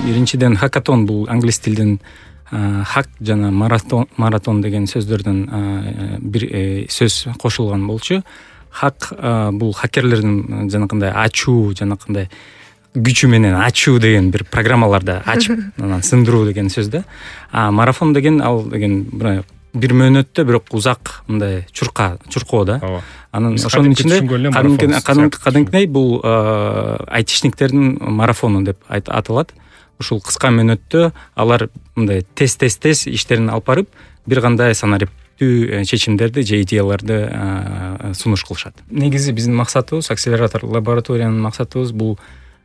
биринчиден хакатон бул англис тилден хак жана маратон деген сөздөрдөн бир сөз кошулган болчу. Хак бул хакерлердин жанакындай ачуу, жанакындай күчү менен ачуу деген бир программаларды ачып анан сындыруу деген сөз да. Марафон деген ал деген бир мөөнөттө бирок узак мындай чуркоо да. Анан ошонун ичинде кадимкидей бул айтишниктердин марафону деп аталат. Ушул кыска мөөнөттө алар мындай тез иштерин алып барып, бир кандай санариптүү чечимдерди же идеяларды сунуш кылышат. Негизи биздин максатыбыз, акселератор лабораториянын максатыбыз бул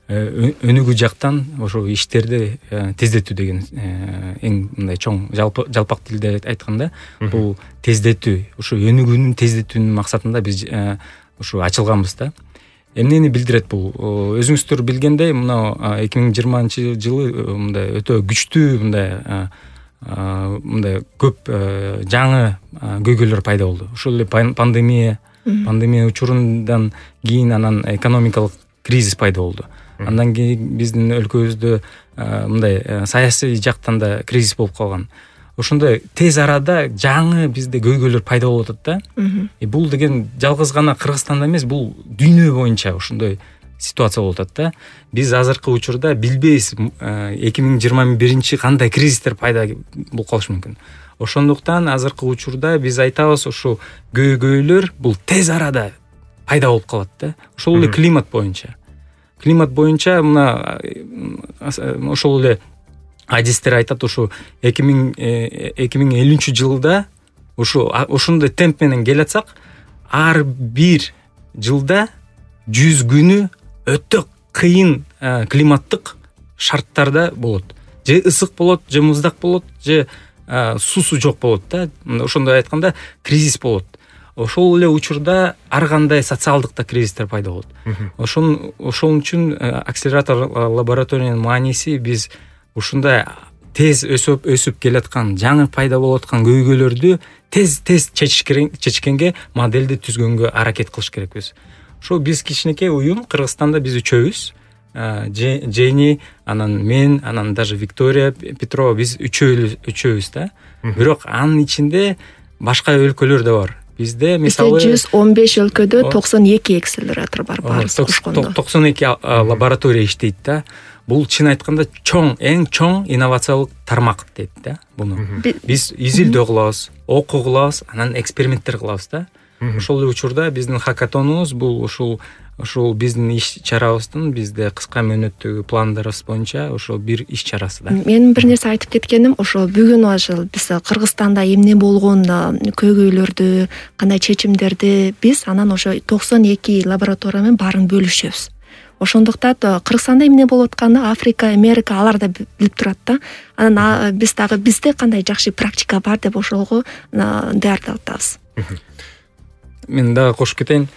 өнүгүү жактан ошо иштерди тездетүү деген эң мындай чоң жалпак тилде айтканда бул тездетүү, ошо өнүгүүнүн тездетүүнүн максатында биз ошо ачылганбыз да. Эмнени билдирет бул? Өзүңүздөр билгендей, мына 2020-жылы мындай өтө күчтүү мындай көп жаңы көйгөйлөр пайда болду. Ошол эле пандемия учурундан кийин анан экономикалык кризис пайда болду. Андан кийин биздин өлкөбүздө мындай саясий жактан да кризис болуп калган. Ошондой тез арада жаңы бизде көйгөйлөр пайда болуп атат да. Бул деген жалгыз гана Кыргызстанда эмес, бул дүйнө боюнча ошондой ситуация болуп атат да. Биз азыркы учурда билбейбиз 2021 кандай кризистер пайда болуп калышы мүмкүн. Ошондуктан азыркы учурда биз айтабыз, ошо көйгөйлөр бул тез арада пайда болуп калат да. Ошол эле климат боюнча мына ошол эле адистер айтат, ошо 2050-жылда ошондой темп менен келатсак, ар бир жылда 100 күнү өтө кыйын климаттык шарттарда болот. Же ысык болот, же муздак болот, же суусу жок болот да. Ошондой айтканда кризис болот. Ошол эле учурда ар кандай социалдык да кризистер пайда болот. Ошол үчүн акселератор лабораториянын мааниси биз ушундай тез өсүп келаткан, жаңы пайда болуп аткан көйгөйлөрдү тез чечкенге, модельди түзгөнгө аракет кылыш керекпиз. Ошо биз кичинекей уюм, Кыргызстанда биз үчөөбүз. Жени, анан мен, анан даже Виктория Петрова, биз үчөөбүз да. Бирок анын ичинде башка өлкөлөр да бар. Бизде мисалы 115 өлкөдө 92 акселератор бар, баарыбыз кошкондо. 92 лаборатория иштейт да. Бул чын айтканда эң чоң инновациялык тармак дейт да. Буну биз изилдөө кылабыз, окуу кылабыз, анан эксперименттер кылабыз да. Ошол эле учурда биздин хакатонубуз бул ушул биздин иш чарабыздын, бизде кыска мөөнөттөгү пландарыбыз боюнча ошол бир иш чарасы да. Мен бир нерсе айтып кеткеним, ошо бүгүн ошол биз Кыргызстанда эмне болгон көйгөйлөрдү, кандай чечимдерди биз анан ошо 92 лаборатория менен баарын бөлүшөбүз. Ошондуктан Кыргызстанда эмне болуп атканын Африка, Америка алар да билип турат да. Анан биз дагы бизде кандай жакшы практика бар деп ошолго даярдап атабыз. Мен дагы кошуп кетейин.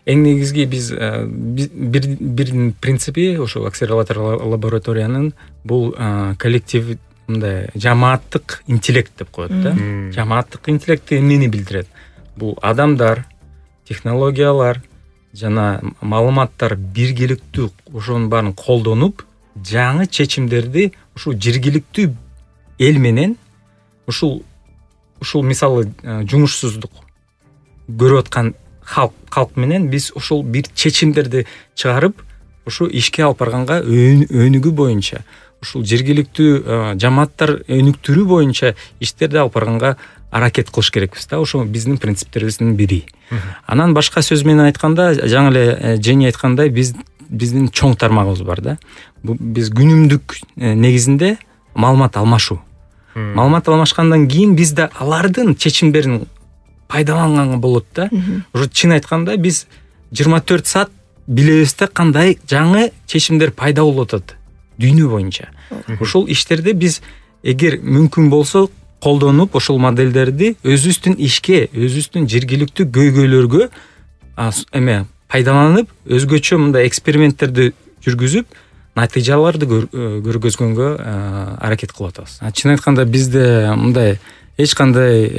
Эң негизги биз бир принципи ошо акселератор лабораториянын бул коллектив мындай жамааттык интеллект деп коет да. Жамааттык интеллект эмнени билдирет? Бул адамдар, технологиялар жана маалыматтар биргеликтүү ошонун баарын колдонуп, жаңы чечимдерди ушул жергиликтүү эл менен ушул мисалы жумушсуздук көрүп аткан халк менен биз ушул бир чечимдерди чыгарып, ушу ишке алып барганга өнүгүү боюнча, ушул жергиликтүү жамааттар өнүктүрүү боюнча иштерди алып барганга аракет кылыш керекпиз да. Ошо биздин принциптерибиздин бири. Анан башка сөз менен айтканда, жаңы эле Жени айткандай, биздин чоң тармагыбыз бар да. Биз күнүмдүк негизинде маалымат алмашуу. Маалымат алмашкандан кийин биз да алардын чечимдерин пайдаланганга болот да. Ошо чын айтканда биз 24 саат билебиз да кандай жаңы чечимдер пайда болуп атат дүйнө боюнча. Ошол иштерди биз эгер мүмкүн болсо колдонуп, ошол модельдерди өзүбүздүн ишке, өзүбүздүн жергиликтүү көйгөйлөргө пайдаланып, өзгөчө мындай эксперименттерди жүргүзүп, натыйжаларды көргөзгөнгө аракет кылып атабыз. Чын айтканда бизде мындай эч кандай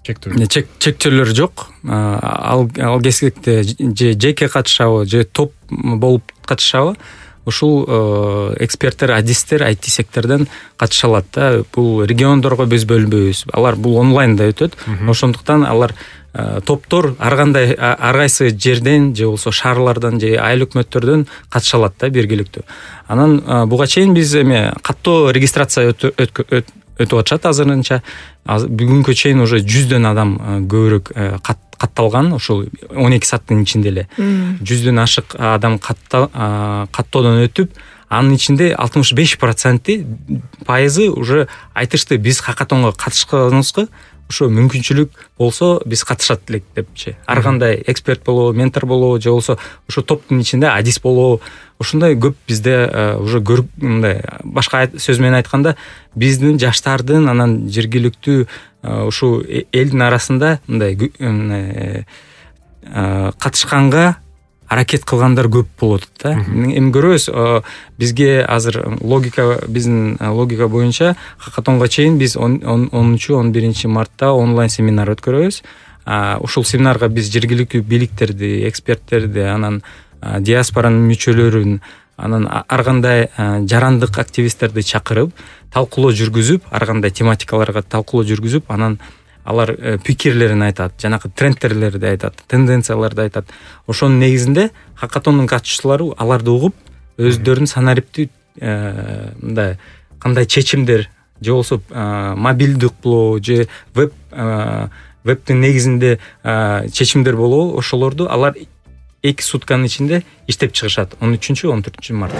чектөөлөр жок. Ал кезекте же жеке катышабы, же топ болуп катышабы, ушул эксперттер, адистер IT сектордон катыша алат да. Бул региондорго биз бөлүнбөйбүз. Алар бул онлайнда өтөт. Ошондуктан алар топтор ар кайсы жерден же болбосо шаарлардан же айыл өкмөттөрдөн катыша алат да биргеликтүү. Анан буга чейин биз каттоо регистрация өтүп атышат азырынча. Бүгүнкү чейин уже 100дөн адам көбүрөөк катталган, ошол 12 сааттын ичинде эле 100дөн ашык адам каттоодон өтүп, анын ичинде 65% уже айтышты биз хакатонго катышканыбызга ошо мүмкүнчүлүк болсо биз катышат элек депчи. Ар кандай эксперт болобу, ментор болобу же болбосо ошо топтун ичинде адис болобу, ушундай көп бизде уже мындай башка сөз менен айтканда биздин жаштардын анан жергиликтүү ушул элдин арасында мындай катышканга аракет кылгандар көп болуп атат да. Эми көрөбүз, бизге азыр биздин логика боюнча хакатонго чейин биз 10-11 мартта онлайн семинар өткөрөбүз. Ушул семинарга биз жергиликтүү бийликтерди, эксперттерди, анан диаспоранын мүчөлөрүн, анан ар кандай жарандык активисттерди чакырып, талкуулоо жүргүзүп, ар кандай тематикаларга талкуулоо жүргүзүп, анан алар пикирлерин айтат, жанагы трендтерлерди айтат, тенденцияларды айтат. Ошонун негизинде хакатондун катышуучулары аларды угуп, өздөрүнүн санариптүү мындай кандай чечимдер же болбосо мобилдик болобу же вебтин негизинде чечимдер болобу, ошолорду алар 2 сутканын ичинде иштеп чыгышат 13-14 мартта.